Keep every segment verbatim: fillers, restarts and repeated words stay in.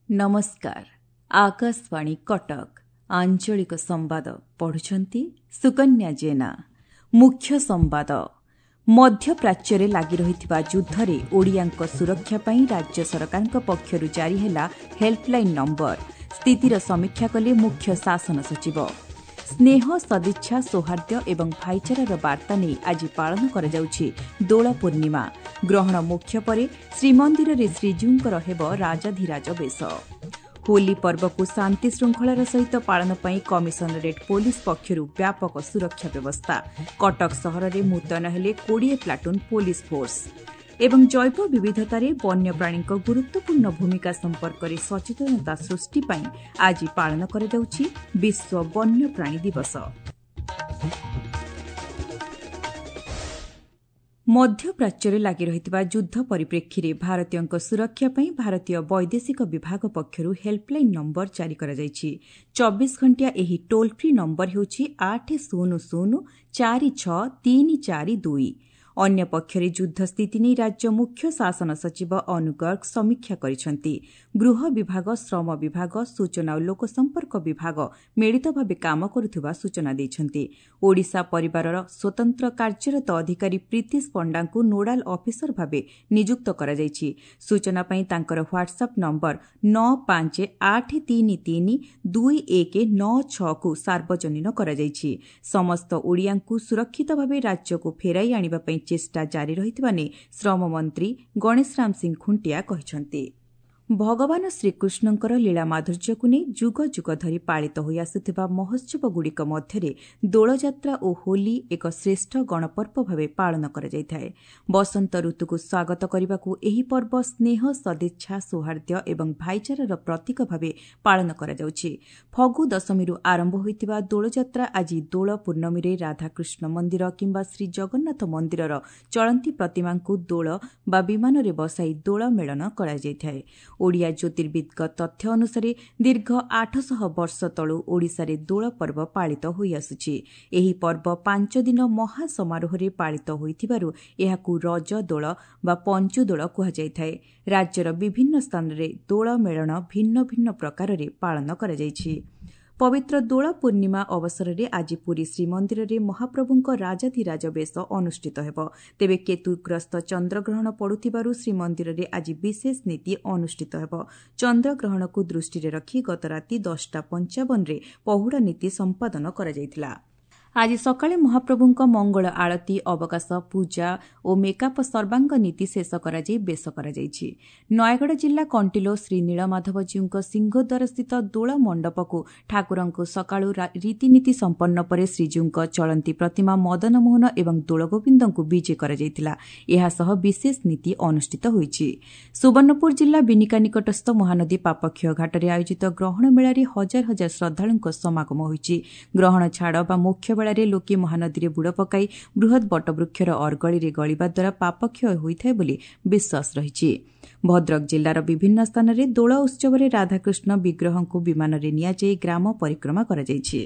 ନମସ୍କାର, ଆକାଶବାଣୀ କଟକ, ଆଞ୍ଚଳିକ ସମ୍ବାଦ ପଢୁଛନ୍ତି ସୁକନ୍ୟା ଜେନା। ମୁଖ୍ୟ ସମ୍ବାଦ। ମଧ୍ୟପ୍ରାଚ୍ୟରେ ଲାଗି ରହିଥିବା ଯୁଦ୍ଧରେ ଓଡ଼ିଆଙ୍କ ସୁରକ୍ଷା ପାଇଁ ରାଜ୍ୟ ସରକାରଙ୍କ ପକ୍ଷରୁ ଜାରି ହେଲା ହେଲ୍ପଲାଇନ୍ ନମ୍ବର। ସ୍ଥିତିର ସମୀକ୍ଷା କଲେ ମୁଖ୍ୟ ଶାସନ ସଚିବ। ସ୍ନେହ, ସଦିଚ୍ଛା, ସୌହାର୍ଦ୍ଦ୍ୟ ଏବଂ ଭାଇଚାରାର ବାର୍ତ୍ତା ନେଇ ଆଜି ପାଳନ କରାଯାଉଛି ଦୋଳ ପୂର୍ଣ୍ଣିମା। ଗ୍ରହଣ ମୋକ୍ଷ ପରେ ଶ୍ରୀମନ୍ଦିରରେ ଶ୍ରୀଜୀଉଙ୍କର ହେବ ରାଜାଧିରାଜ ବେଶ। ହୋଲି ପର୍ବକୁ ଶାନ୍ତିଶୃଙ୍ଖଳାର ସହିତ ପାଳନ ପାଇଁ କମିଶନରେଟ୍ ପୋଲିସ ପକ୍ଷରୁ ବ୍ୟାପକ ସୁରକ୍ଷା ବ୍ୟବସ୍ଥା। କଟକ ସହରରେ ମୁତୟନ ହେଲେ କୋଡ଼ିଏ ପ୍ଲାଟୁନ୍ ପୋଲିସ ଫୋର୍ସ। ଏବଂ ଜୈବ ବିବିଧତାରେ ବନ୍ୟପ୍ରାଣୀଙ୍କ ଗୁରୁତ୍ୱପୂର୍ଣ୍ଣ ଭୂମିକା ସମ୍ପର୍କରେ ସଚେତନତା ସୃଷ୍ଟି ପାଇଁ ଆଜି ପାଳନ କରାଯାଉଛି ବିଶ୍ୱ ବନ୍ୟପ୍ରାଣୀ ଦିବସ। ମଧ୍ୟପ୍ରାଚ୍ୟରେ ଲାଗି ରହିଥିବା ଯୁଦ୍ଧ ପରିପ୍ରେକ୍ଷୀରେ ଭାରତୀୟଙ୍କ ସୁରକ୍ଷା ପାଇଁ ଭାରତୀୟ ବୈଦେଶିକ ବିଭାଗ ପକ୍ଷରୁ ହେଲ୍ପଲାଇନ୍ ନମ୍ବର ଜାରି କରାଯାଇଛି। ଚବିଶ ଘଣ୍ଟିଆ ଏହି ଟୋଲ୍ ଫ୍ରି ନମ୍ବର ହେଉଛି ଆଠ ଶୂନ ଶୂନ ଚାରି ଛଅ ତିନି ଚାରି ଦୁଇ। ଅନ୍ୟପକ୍ଷରେ ଯୁଦ୍ଧ ସ୍ଥିତି ନେଇ ରାଜ୍ୟ ମୁଖ୍ୟ ଶାସନ ସଚିବ ଅନୁ ଗର୍ଗ ସମୀକ୍ଷା କରିଛନ୍ତି। ଗୃହ ବିଭାଗ, ଶ୍ରମ ବିଭାଗ, ସୂଚନା ଓ ଲୋକସମ୍ପର୍କ ବିଭାଗ ମିଳିତ ଭାବେ କାମ କରୁଥିବା ସୂଚନା ଦେଇଛନ୍ତି। ଓଡ଼ିଶା ପରିବାରର ସ୍ୱତନ୍ତ୍ର କାର୍ଯ୍ୟରତ ଅଧିକାରୀ ପ୍ରୀତିଶ ପଣ୍ଡାଙ୍କୁ ନୋଡାଲ ଅଫିସର ଭାବେ ନିଯୁକ୍ତ କରାଯାଇଛି। ସୂଚନା ପାଇଁ ତାଙ୍କର ହ୍ୱାଟ୍ସଆପ୍ ନମ୍ବର ନଅ ପାଞ୍ଚ ଆଠ ତିନି ତିନି ଦୁଇ ଏକ ନଅ ଛଅକୁ ସାର୍ବଜନୀନ କରାଯାଇଛି। ସମସ୍ତ ଓଡ଼ିଆଙ୍କୁ ସୁରକ୍ଷିତ ଭାବେ ରାଜ୍ୟକୁ ଫେରାଇ ଆଣିବା ପାଇଁ ଚେଷ୍ଟା ଜାରି ରହିଥିବା ନେଇ ଶ୍ରମମନ୍ତ୍ରୀ ଗଣେଶରାମ ସିଂ ଖୁଣ୍ଟିଆ କହିଛନ୍ତି। ଭଗବାନ ଶ୍ରୀକୃଷ୍ଣଙ୍କର ଲୀଳା ମାଧୁର୍ଯ୍ୟକୁ ନେଇ ଯୁଗ ଯୁଗ ଧରି ପାଳିତ ହୋଇଆସୁଥିବା ମହୋତ୍ସବଗୁଡ଼ିକ ମଧ୍ୟରେ ଦୋଳଯାତ୍ରା ଓ ହୋଲି ଏକ ଶ୍ରେଷ୍ଠ ଗଣପର୍ବ ଭାବେ ପାଳନ କରାଯାଇଥାଏ। ବସନ୍ତ ଋତୁକୁ ସ୍ୱାଗତ କରିବାକୁ ଏହି ପର୍ବ ସ୍ନେହ, ସଦିଚ୍ଛା, ସୌହାର୍ଦ୍ଦ୍ୟ ଏବଂ ଭାଇଚାରାର ପ୍ରତୀକ ଭାବେ ପାଳନ କରାଯାଉଛି। ଫଗୁ ଦଶମୀରୁ ଆରମ୍ଭ ହୋଇଥିବା ଦୋଳଯାତ୍ରା ଆଜି ଦୋଳ ପୂର୍ଣ୍ଣମୀରେ ରାଧାକୃଷ୍ଣ ମନ୍ଦିର କିମ୍ବା ଶ୍ରୀଜଗନ୍ନାଥ ମନ୍ଦିରର ଚଳନ୍ତି ପ୍ରତିମାଙ୍କୁ ଦୋଳ ବା ବିମାନରେ ବସାଇ ଦୋଳ ମେଳନ କରାଯାଇଥାଏ। ଓଡ଼ିଆ ଜ୍ୟୋତିର୍ବିଦ୍ଙ୍କ ତଥ୍ୟ ଅନୁସାରେ ଦୀର୍ଘ ଆଠଶହ ବର୍ଷ ତଳୁ ଓଡ଼ିଶାରେ ଦୋଳ ପର୍ବ ପାଳିତ ହୋଇଆସୁଛି। ଏହି ପର୍ବ ପାଞ୍ଚ ଦିନ ମହାସମାରୋହରେ ପାଳିତ ହୋଇଥିବାରୁ ଏହାକୁ ରଜ ଦୋଳ ବା ପଞ୍ଚୁଦୋଳ କୁହାଯାଇଥାଏ। ରାଜ୍ୟର ବିଭିନ୍ନ ସ୍ଥାନରେ ଦୋଳ ମେଳଣ ଭିନ୍ନ ଭିନ୍ନ ପ୍ରକାରରେ ପାଳନ କରାଯାଇଛି। ପବିତ୍ର ଦୋଳ ପୂର୍ଣ୍ଣିମା ଅବସରରେ ଆଜି ପୁରୀ ଶ୍ରୀମନ୍ଦିରରେ ମହାପ୍ରଭୁଙ୍କ ରାଜାଧିରାଜ ବେଶ ଅନୁଷ୍ଠିତ ହେବ। ତେବେ କେତୁଗ୍ରସ୍ତ ଚନ୍ଦ୍ରଗ୍ରହଣ ପଡ଼ୁଥିବାରୁ ଶ୍ରୀମନ୍ଦିରରେ ଆଜି ବିଶେଷ ନୀତି ଅନୁଷ୍ଠିତ ହେବ। ଚନ୍ଦ୍ରଗ୍ରହଣକୁ ଦୃଷ୍ଟିରେ ରଖି ଗତ ରାତି ଦଶଟା ପଞ୍ଚାବନରେ ପହୁଡ଼ ନୀତି ସମ୍ପାଦନ କରାଯାଇଥିଲା। ଆଜି ସକାଳେ ମହାପ୍ରଭୁଙ୍କ ମଙ୍ଗଳ ଆଳତୀ, ଅବକାଶ ପୂଜା ଓ ମେକାପ ସର୍ବାଙ୍ଗ ନୀତି ଶେଷ କରାଯାଇ ବେଶ କରାଯାଇଛି। ନୟାଗଡ଼ ଜିଲ୍ଲା କଣ୍ଟିଲୋ ଶ୍ରୀ ନୀଳମାଧବଜୀଉଙ୍କ ସିଂହଦ୍ୱାରସ୍ଥିତ ଦୋଳ ମଣ୍ଡପକୁ ଠାକୁରଙ୍କୁ ସକାଳୁ ରୀତିନୀତି ସମ୍ପନ୍ନ ପରେ ଶ୍ରୀଜୀଉଙ୍କ ଚଳନ୍ତି ପ୍ରତିମା ମଦନମୋହନ ଏବଂ ଦୋଳଗୋବିନ୍ଦଙ୍କୁ ବିଜେ କରାଯାଇଥିଲା। ଏହାସହ ବିଶେଷ ନୀତି ଅନୁଷ୍ଠିତ ହୋଇଛି। ସୁବର୍ଣ୍ଣପୁର ଜିଲ୍ଲା ବିନିକା ନିକଟସ୍ଥ ମହାନଦୀ ପାପକ୍ଷୟ ଘାଟରେ ଆୟୋଜିତ ଗ୍ରହଣ ମେଳାରେ ହଜାର ହଜାର ଶ୍ରଦ୍ଧାଳୁଙ୍କ ସମାଗମ ହୋଇଛି। ଗ୍ରହଣ ଛାଡ଼ ବା ମୋକ୍ଷ ବେଳାରେ ଲୋକେ ମହାନଦୀରେ ବୁଡ଼ ପକାଇ ବୃହତ୍ ବଟବୃକ୍ଷର ଅର୍ଗଳିରେ ଗଳିବା ଦ୍ୱାରା ପାପକ୍ଷୟ ହୋଇଥାଏ ବୋଲି ବିଶ୍ୱାସ ରହିଛି। ଭଦ୍ରକ ଜିଲ୍ଲାର ବିଭିନ୍ନ ସ୍ଥାନରେ ଦୋଳ ଉତ୍ସବରେ ରାଧାକୃଷ୍ଣ ବିଗ୍ରହଙ୍କୁ ବିମାନରେ ନିଆଯାଇ ଗ୍ରାମ ପରିକ୍ରମା କରାଯାଇଛି।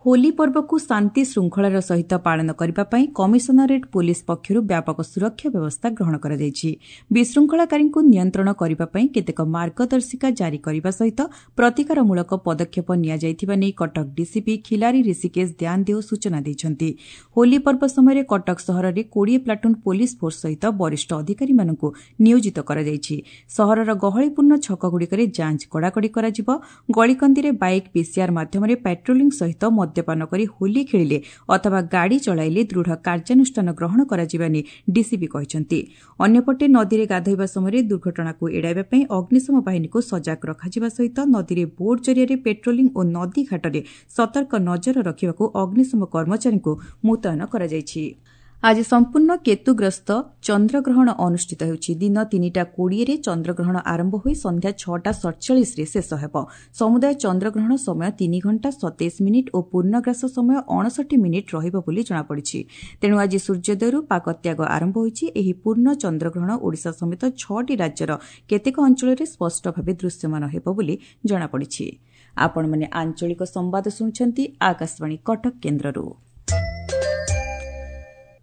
ହୋଲି ପର୍ବକୁ ଶାନ୍ତି ଶୃଙ୍ଖଳାର ସହିତ ପାଳନ କରିବା ପାଇଁ କମିଶନରେଟ୍ ପୋଲିସ ପକ୍ଷରୁ ବ୍ୟାପକ ସୁରକ୍ଷା ବ୍ୟବସ୍ଥା ଗ୍ରହଣ କରାଯାଇଛି। ବିଶୃଙ୍ଖଳାକାରୀଙ୍କୁ ନିୟନ୍ତ୍ରଣ କରିବା ପାଇଁ କେତେକ ମାର୍ଗଦର୍ଶିକା ଜାରି କରିବା ସହିତ ପ୍ରତିକାରମୂଳକ ପଦକ୍ଷେପ ନିଆଯାଇଥିବା ନେଇ କଟକ ଡିସିପି ଖିଲାରୀ ଋଷିକେଶ ଧ୍ୟାନଦେଓ ସୂଚନା ଦେଇଛନ୍ତି। ହୋଲି ପର୍ବ ସମୟରେ କଟକ ସହରରେ କୋଡ଼ିଏ ପ୍ଲାଟୁନ୍ ପୋଲିସ ଫୋର୍ସ ସହିତ ବରିଷ୍ଠ ଅଧିକାରୀମାନଙ୍କୁ ନିୟୋଜିତ କରାଯାଇଛି। ସହରର ଗହଳିପୂର୍ଣ୍ଣ ଛକଗୁଡ଼ିକରେ ଯାଞ୍ଚ କଡ଼ାକଡ଼ି କରାଯିବ। ଗଳିକନ୍ଦିରେ ବାଇକ୍ ପିସିଆର୍ ମାଧ୍ୟମରେ ପାଟ୍ରୋଲିଂ ସହିତ ମଦ୍ୟପାନ କରି ହୋଲି ଖେଳିଲେ ଅଥବା ଗାଡ଼ି ଚଳାଇଲେ ଦୃଢ଼ କାର୍ଯ୍ୟାନୁଷ୍ଠାନ ଗ୍ରହଣ କରାଯିବା ନେଇ ଡିସିପି କହିଛନ୍ତି। ଅନ୍ୟପଟେ ନଦୀରେ ଗାଧୋଇବା ସମୟରେ ଦୁର୍ଘଟଣାକୁ ଏଡ଼ାଇବା ପାଇଁ ଅଗ୍ନିଶମ ବାହିନୀକୁ ସଜାଗ ରଖାଯିବା ସହିତ ନଦୀରେ ବୋଟ୍ ଜରିଆରେ ପେଟ୍ରୋଲିଂ ଓ ନଦୀ ଘାଟରେ ସତର୍କ ନଜର ରଖିବାକୁ ଅଗ୍ନିଶମ କର୍ମଚାରୀଙ୍କୁ ମୁତୟନ କରାଯାଇଛି। ଆଜି ସମ୍ପୂର୍ଣ୍ଣ କେତୁଗ୍ରସ୍ତ ଚନ୍ଦ୍ରଗ୍ରହଣ ଅନୁଷ୍ଠିତ ହେଉଛି। ଦିନ ତିନିଟା କୋଡ଼ିଏରେ ଚନ୍ଦ୍ରଗ୍ରହଣ ଆରମ୍ଭ ହୋଇ ସନ୍ଧ୍ୟା ଛଅଟା ସତଚାଳିଶରେ ଶେଷ ହେବ। ସମୁଦାୟ ଚନ୍ଦ୍ରଗ୍ରହଣ ସମୟ ତିନି ଘଣ୍ଟା ସତେଇଶ ମିନିଟ୍ ଓ ପୂର୍ଣ୍ଣଗ୍ରାସ ସମୟ ଅଣଷଠି ମିନିଟ୍ ରହିବ ବୋଲି ଜଣାପଡ଼ିଛି। ତେଣୁ ଆଜି ସୂର୍ଯ୍ୟୋଦୟରୁ ପାକତ୍ୟାଗ ଆରମ୍ଭ ହୋଇଛି। ଏହି ପୂର୍ଣ୍ଣ ଚନ୍ଦ୍ରଗ୍ରହଣ ଓଡ଼ିଶା ସମେତ ଛଅଟି ରାଜ୍ୟର କେତେକ ଅଞ୍ଚଳରେ ସ୍ପଷ୍ଟ ଭାବେ ଦୃଶ୍ୟମାନ ହେବ ବୋଲି ଜଣାପଡ଼ିଛି। ଆପଣମାନେ ଆଞ୍ଚଳିକ ସମ୍ବାଦ ଶୁଣୁଛନ୍ତି ଆକାଶବାଣୀ କଟକ କେନ୍ଦ୍ରରୁ।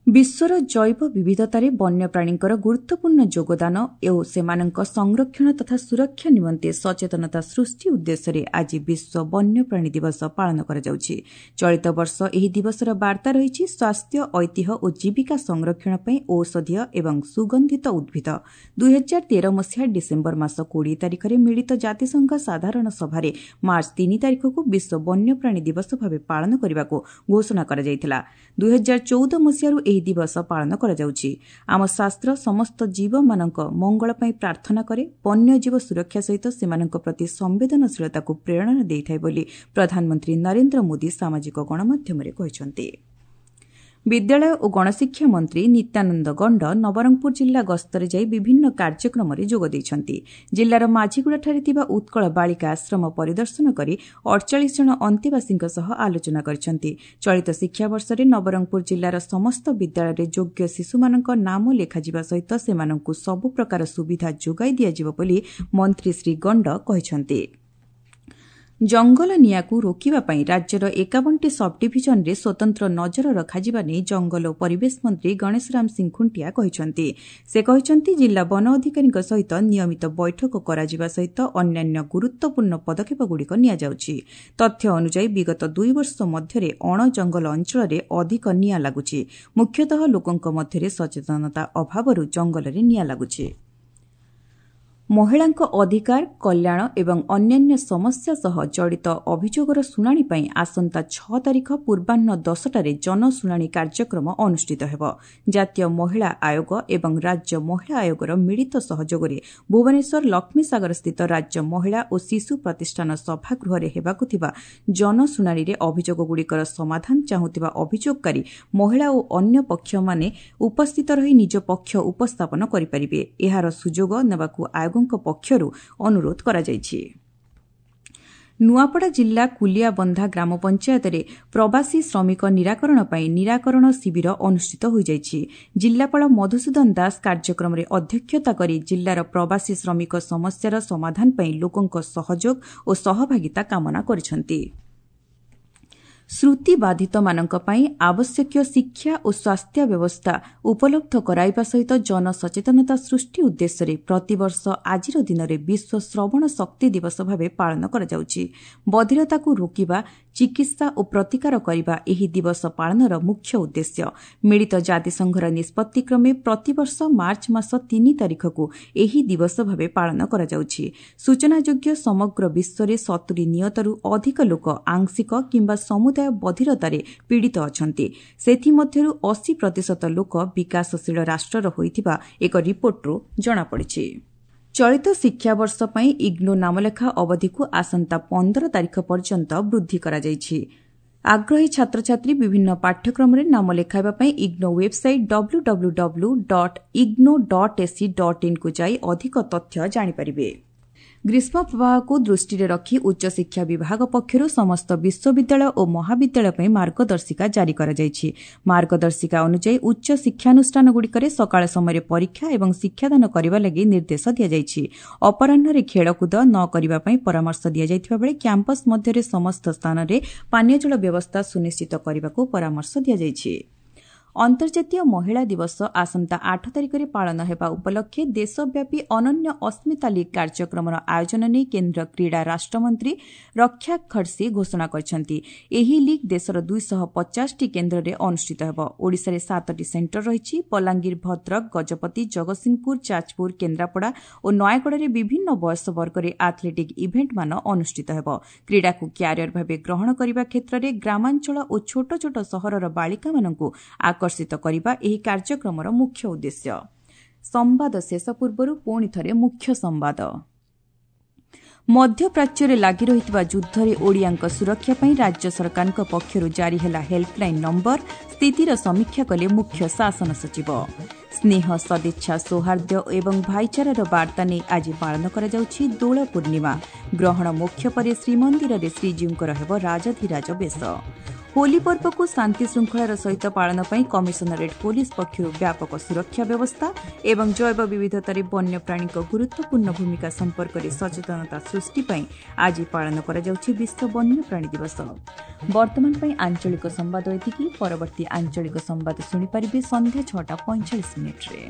ବିଶ୍ୱର ଜୈବ ବିବିଧତାରେ ବନ୍ୟପ୍ରାଣୀଙ୍କର ଗୁରୁତ୍ୱପୂର୍ଣ୍ଣ ଯୋଗଦାନ ଓ ସେମାନଙ୍କ ସଂରକ୍ଷଣ ତଥା ସୁରକ୍ଷା ନିମନ୍ତେ ସଚେତନତା ସୃଷ୍ଟି ଉଦ୍ଦେଶ୍ୟରେ ଆଜି ବିଶ୍ୱ ବନ୍ୟପ୍ରାଣୀ ଦିବସ ପାଳନ କରାଯାଉଛି। ଚଳିତ ବର୍ଷ ଏହି ଦିବସର ବାର୍ତ୍ତା ରହିଛି ସ୍ୱାସ୍ଥ୍ୟ, ଐତିହ୍ୟ ଓ ଜୀବିକା ସଂରକ୍ଷଣ ପାଇଁ ଔଷଧୀୟ ଏବଂ ସୁଗନ୍ଧିତ ଉଦ୍ଭିଦ। ଦୁଇହଜାର ତେର ମସିହା ଡିସେମ୍ବର ମାସ କୋଡ଼ିଏ ତାରିଖରେ ମିଳିତ ଜାତିସଂଘ ସାଧାରଣ ସଭାରେ ମାର୍ଚ୍ଚ ତିନି ତାରିଖକୁ ବିଶ୍ୱ ବନ୍ୟପ୍ରାଣୀ ଦିବସ ଭାବେ ପାଳନ କରିବାକୁ ଘୋଷଣା କରାଯାଇଥିଲା। ଦୁଇହଜାର ଚଉଦ ମସିହାରୁ ଏହି ଦିବସ ପାଳନ କରାଯାଉଛି। ଆମ ଶାସ୍ତ୍ର ସମସ୍ତ ଜୀବମାନଙ୍କ ମଙ୍ଗଳ ପାଇଁ ପ୍ରାର୍ଥନା କରେ, ବନ୍ୟଜୀବ ସୁରକ୍ଷା ସହିତ ସେମାନଙ୍କ ପ୍ରତି ସମ୍ବେଦନଶୀଳତାକୁ ପ୍ରେରଣା ଦେଇଥାଏ ବୋଲି ପ୍ରଧାନମନ୍ତ୍ରୀ ନରେନ୍ଦ୍ର ମୋଦି ସାମାଜିକ ଗଣମାଧ୍ୟମରେ କହିଛନ୍ତି। ବିଦ୍ୟାଳୟ ଓ ଗଣଶିକ୍ଷା ମନ୍ତ୍ରୀ ନିତ୍ୟାନନ୍ଦ ଗଣ୍ଡ ନବରଙ୍ଗପୁର ଜିଲ୍ଲା ଗସ୍ତରେ ଯାଇ ବିଭିନ୍ନ କାର୍ଯ୍ୟକ୍ରମରେ ଯୋଗ ଦେଇଛନ୍ତି। ଜିଲ୍ଲାର ମାଝିଗୁଡ଼ାଠାରେ ଥିବା ଉତ୍କଳ ବାଳିକା ଆଶ୍ରମ ପରିଦର୍ଶନ କରି ଅଡ଼ଚାଳିଶ ଜଣ ଅନ୍ତେବାସୀଙ୍କ ସହ ଆଲୋଚନା କରିଛନ୍ତି। ଚଳିତ ଶିକ୍ଷାବର୍ଷରେ ନବରଙ୍ଗପୁର ଜିଲ୍ଲାର ସମସ୍ତ ବିଦ୍ୟାଳୟରେ ଯୋଗ୍ୟ ଶିଶୁମାନଙ୍କ ନାମ ଲେଖାଯିବା ସହିତ ସେମାନଙ୍କୁ ସବୁ ପ୍ରକାର ସୁବିଧା ଯୋଗାଇ ଦିଆଯିବ ବୋଲି ମନ୍ତ୍ରୀ ଶ୍ରୀ ଗଣ୍ଡ କହିଛନ୍ତି। ଜଙ୍ଗଲ ନିଆଁକୁ ରୋକିବା ପାଇଁ ରାଜ୍ୟର ଏକାବନଟି ସବ୍ଡିଭିଜନରେ ସ୍ୱତନ୍ତ୍ର ନଜର ରଖାଯିବା ନେଇ ଜଙ୍ଗଲ ଓ ପରିବେଶ ମନ୍ତ୍ରୀ ଗଣେଶରାମ ସିଂ ଖୁଣ୍ଟିଆ କହିଛନ୍ତି। ସେ କହିଛନ୍ତି, ଜିଲ୍ଲା ବନ ଅଧିକାରୀଙ୍କ ସହିତ ନିୟମିତ ବୈଠକ କରାଯିବା ସହିତ ଅନ୍ୟାନ୍ୟ ଗୁରୁତ୍ୱପୂର୍ଣ୍ଣ ପଦକ୍ଷେପଗୁଡ଼ିକ ନିଆଯାଉଛି। ତଥ୍ୟ ଅନୁଯାୟୀ ବିଗତ ଦୁଇ ବର୍ଷ ମଧ୍ୟରେ ଅଣଜଙ୍ଗଲ ଅଞ୍ଚଳରେ ଅଧିକ ନିଆଁ ଲାଗୁଛି। ମୁଖ୍ୟତଃ ଲୋକଙ୍କ ମଧ୍ୟରେ ସଚେତନତା ଅଭାବରୁ ଜଙ୍ଗଲରେ ନିଆଁ ଲାଗୁଛି। ମହିଳାଙ୍କ ଅଧିକାର, କଲ୍ୟାଣ ଏବଂ ଅନ୍ୟାନ୍ୟ ସମସ୍ୟା ସହ ଜଡ଼ିତ ଅଭିଯୋଗର ଶୁଣାଣି ପାଇଁ ଆସନ୍ତା ଛଅ ତାରିଖ ପୂର୍ବାହ୍ନ ଦଶଟାରେ ଜନଶୁଣାଣି କାର୍ଯ୍ୟକ୍ରମ ଅନୁଷ୍ଠିତ ହେବ। ଜାତୀୟ ମହିଳା ଆୟୋଗ ଏବଂ ରାଜ୍ୟ ମହିଳା ଆୟୋଗର ମିଳିତ ସହଯୋଗରେ ଭୁବନେଶ୍ୱର ଲକ୍ଷ୍ମୀସାଗରସ୍ଥିତ ରାଜ୍ୟ ମହିଳା ଓ ଶିଶୁ ପ୍ରତିଷ୍ଠାନ ସଭାଗୃହରେ ହେବାକୁ ଥିବା ଜନଶୁଣାଣିରେ ଅଭିଯୋଗଗୁଡ଼ିକର ସମାଧାନ ଚାହୁଁଥିବା ଅଭିଯୋଗକାରୀ ମହିଳା ଓ ଅନ୍ୟ ପକ୍ଷମାନେ ଉପସ୍ଥିତ ରହି ନିଜ ପକ୍ଷ ଉପସ୍ଥାପନ କରିପାରିବେ। ଏହାର ସୁଯୋଗ ନେବାକୁ ଆୟୋଗ ପକ୍ଷରୁ ଅନୁରୋଧ କରାଯାଇଛି। ନୂଆପଡ଼ା ଜିଲ୍ଲା କୁଲିଆବନ୍ଧା ଗ୍ରାମ ପଞ୍ଚାୟତରେ ପ୍ରବାସୀ ଶ୍ରମିକ ନିରାକରଣ ପାଇଁ ନିରାକରଣ ଶିବିର ଅନୁଷ୍ଠିତ ହୋଇଯାଇଛି। ଜିଲ୍ଲାପାଳ ମଧୁସୂଦନ ଦାସ କାର୍ଯ୍ୟକ୍ରମରେ ଅଧ୍ୟକ୍ଷତା କରି ଜିଲ୍ଲାର ପ୍ରବାସୀ ଶ୍ରମିକ ସମସ୍ୟାର ସମାଧାନ ପାଇଁ ଲୋକଙ୍କ ସହଯୋଗ ଓ ସହଭାଗିତା କାମନା କରିଛନ୍ତି। ଶ୍ରୁତିବାଧିତମାନଙ୍କ ପାଇଁ ଆବଶ୍ୟକୀୟ ଶିକ୍ଷା ଓ ସ୍ୱାସ୍ଥ୍ୟ ବ୍ୟବସ୍ଥା ଉପଲବ୍ଧ କରାଇବା ସହିତ ଜନସଚେତନତା ସୃଷ୍ଟି ଉଦ୍ଦେଶ୍ୟରେ ପ୍ରତିବର୍ଷ ଆଜିର ଦିନରେ ବିଶ୍ୱ ଶ୍ରବଣ ଶକ୍ତି ଦିବସ ଭାବେ ପାଳନ କରାଯାଉଛି। ବଧିରତାକୁ ରୋକିବା, ଚିକିତ୍ସା ଓ ପ୍ରତିକାର କରିବା ଏହି ଦିବସ ପାଳନର ମୁଖ୍ୟ ଉଦ୍ଦେଶ୍ୟ। ମିଳିତ ଜାତିସଂଘର ନିଷ୍ପତ୍ତିକ୍ରମେ ପ୍ରତିବର୍ଷ ମାର୍ଚ୍ଚ ମାସ ତିନି ତାରିଖକୁ ଏହି ଦିବସ ଭାବେ ପାଳନ କରାଯାଉଛି। ସୂଚନାଯୋଗ୍ୟ, ସମଗ୍ର ବିଶ୍ୱରେ ସତୁରି ନିୟତରୁ ଅଧିକ ଲୋକ ଆଂଶିକ କିମ୍ବା ସମୁଦାୟ ବଧିରତାରେ ପୀଡ଼ିତ ଅଛନ୍ତି। ସେଥିମଧ୍ୟରୁ ଅଶୀ ପ୍ରତିଶତ ଲୋକ ବିକାଶଶୀଳ ରାଷ୍ଟ୍ରର ହୋଇଥିବା ଏକ ରିପୋର୍ଟରୁ ଜଣାପଡ଼ିଛି। ଚଳିତ ଶିକ୍ଷାବର୍ଷ ପାଇଁ ଇଗ୍ନୋ ନାମଲେଖା ଅବଧିକୁ ଆସନ୍ତା ପନ୍ଦର ତାରିଖ ପର୍ଯ୍ୟନ୍ତ ବୃଦ୍ଧି କରାଯାଇଛି। ଆଗ୍ରହୀ ଛାତ୍ରଛାତ୍ରୀ ବିଭିନ୍ନ ପାଠ୍ୟକ୍ରମରେ ନାମ ଲେଖାଇବା ପାଇଁ IGNOU website W W W dot IGNOU dot AC dot ଇନ୍କୁ ଯାଇ ଅଧିକ ତଥ୍ୟ ଜାଣିପାରିବେ। ଗ୍ରୀଷ୍ମ ପ୍ରବାହକୁ ଦୃଷ୍ଟିରେ ରଖି ଉଚ୍ଚଶିକ୍ଷା ବିଭାଗ ପକ୍ଷରୁ ସମସ୍ତ ବିଶ୍ୱବିଦ୍ୟାଳୟ ଓ ମହାବିଦ୍ୟାଳୟ ପାଇଁ ମାର୍ଗଦର୍ଶିକା ଜାରି କରାଯାଇଛି। ମାର୍ଗଦର୍ଶିକା ଅନୁଯାୟୀ ଉଚ୍ଚ ଶିକ୍ଷାନୁଷ୍ଠାନଗୁଡ଼ିକରେ ସକାଳ ସମୟରେ ପରୀକ୍ଷା ଏବଂ ଶିକ୍ଷାଦାନ କରିବା ଲାଗି ନିର୍ଦ୍ଦେଶ ଦିଆଯାଇଛି। ଅପରାହ୍ନରେ ଖେଳକୁଦ ନ କରିବା ପାଇଁ ପରାମର୍ଶ ଦିଆଯାଇଥିବା ବେଳେ କ୍ୟାମ୍ପସ୍ ମଧ୍ୟରେ ସମସ୍ତ ସ୍ଥାନରେ ପାନୀୟ ଜଳ ବ୍ୟବସ୍ଥା ସୁନିଶ୍ଚିତ କରିବାକୁ ପରାମର୍ଶ ଦିଆଯାଇଛି। ଅନ୍ତର୍ଜାତୀୟ ମହିଳା ଦିବସ ଆସନ୍ତା ଆଠ ତାରିଖରେ ପାଳନ ହେବା ଉପଲକ୍ଷେ ଦେଶବ୍ୟାପୀ ଅନନ୍ୟ ଅସ୍ମିତା ଲିଗ୍ କାର୍ଯ୍ୟକ୍ରମର ଆୟୋଜନ ନେଇ କେନ୍ଦ୍ର କ୍ରୀଡ଼ା ରାଷ୍ଟ୍ରମନ୍ତ୍ରୀ ରକ୍ଷା ଖଡ୍ସେ ଘୋଷଣା କରିଛନ୍ତି। ଏହି ଲିଗ୍ ଦେଶର ଦୁଇଶହ ପଚାଶଟି କେନ୍ଦ୍ରରେ ଅନୁଷ୍ଠିତ ହେବ। ଓଡ଼ିଶାରେ ସାତଟି ସେଣ୍ଟର ରହିଛି। ବଲାଙ୍ଗୀର, ଭଦ୍ରକ, ଗଜପତି, ଜଗତସିଂହପୁର, ଯାଜପୁର, କେନ୍ଦ୍ରାପଡ଼ା ଓ ନୟାଗଡ଼ରେ ବିଭିନ୍ନ ବୟସ ବର୍ଗରେ ଆଥଲେଟିକ୍ ଇଭେଣ୍ଟମାନ ଅନୁଷ୍ଠିତ ହେବ। କ୍ରୀଡ଼ାକୁ କ୍ୟାରିୟର ଭାବେ ଗ୍ରହଣ କରିବା କ୍ଷେତ୍ରରେ ଗ୍ରାମାଞ୍ଚଳ ଓ ଛୋଟ ଛୋଟ ସହରର ବାଳିକାମାନଙ୍କୁ ଆକର୍ଷିତ କରିବା ଏହି କାର୍ଯ୍ୟକ୍ରମର ମୁଖ୍ୟ ଉଦ୍ଦେଶ୍ୟ। ସମ୍ବାଦ ଶେଷ ପୂର୍ବରୁ ପୁଣି ଥରେ ମୁଖ୍ୟ ସମ୍ବାଦ। ମଧ୍ୟପ୍ରାଚ୍ୟରେ ଲାଗି ରହିଥିବା ଯୁଦ୍ଧରେ ଓଡ଼ିଆଙ୍କ ସୁରକ୍ଷା ପାଇଁ ରାଜ୍ୟ ସରକାରଙ୍କ ପକ୍ଷରୁ ଜାରି ହେଲା ହେଲ୍ପଲାଇନ୍ ନମ୍ବର। ସ୍ଥିତିର ସମୀକ୍ଷା କଲେ ମୁଖ୍ୟ ଶାସନ ସଚିବ। ସ୍ନେହ, ସଦିଚ୍ଛା, ସୌହାର୍ଦ୍ଦ୍ୟ ଏବଂ ଭାଇଚାରାର ବାର୍ତ୍ତା ନେଇ ଆଜି ପାଳନ କରାଯାଉଛି ଦୋଳ ପୂର୍ଣ୍ଣିମା। ଗ୍ରହଣ ମୋକ୍ଷ ପରେ ଶ୍ରୀମନ୍ଦିରରେ ଶ୍ରୀଜୀଉଙ୍କର ହେବ ରାଜାଧିରାଜ ବେଶ। ହୋଲି ପର୍ବକୁ ଶାନ୍ତିଶୃଙ୍ଖଳାର ସହିତ ପାଳନ ପାଇଁ କମିଶନରେଟ୍ ପୋଲିସ ପକ୍ଷରୁ ବ୍ୟାପକ ସୁରକ୍ଷା ବ୍ୟବସ୍ଥା ଏବଂ ଜୈବ ବିବିଧତାରେ ବନ୍ୟପ୍ରାଣୀଙ୍କ ଗୁରୁତ୍ୱପୂର୍ଣ୍ଣ ଭୂମିକା ସମ୍ପର୍କରେ ସଚେତନତା ସୃଷ୍ଟି ପାଇଁ ଆଜି ପାଳନ କରାଯାଉଛି ବିଶ୍ୱ ବନ୍ୟପ୍ରାଣୀ ଦିବସ। ବର୍ତ୍ତମାନ ପାଇଁ ଆଞ୍ଚଳିକ ସମ୍ବାଦ ଏତିକି। ପରବର୍ତ୍ତୀ ଆଞ୍ଚଳିକ ସମ୍ବାଦ ଶୁଣିପାରିବେ ସନ୍ଧ୍ୟା ଛଅଟା ପଇଁଚାଳିଶ ମିନିଟ୍ରେ।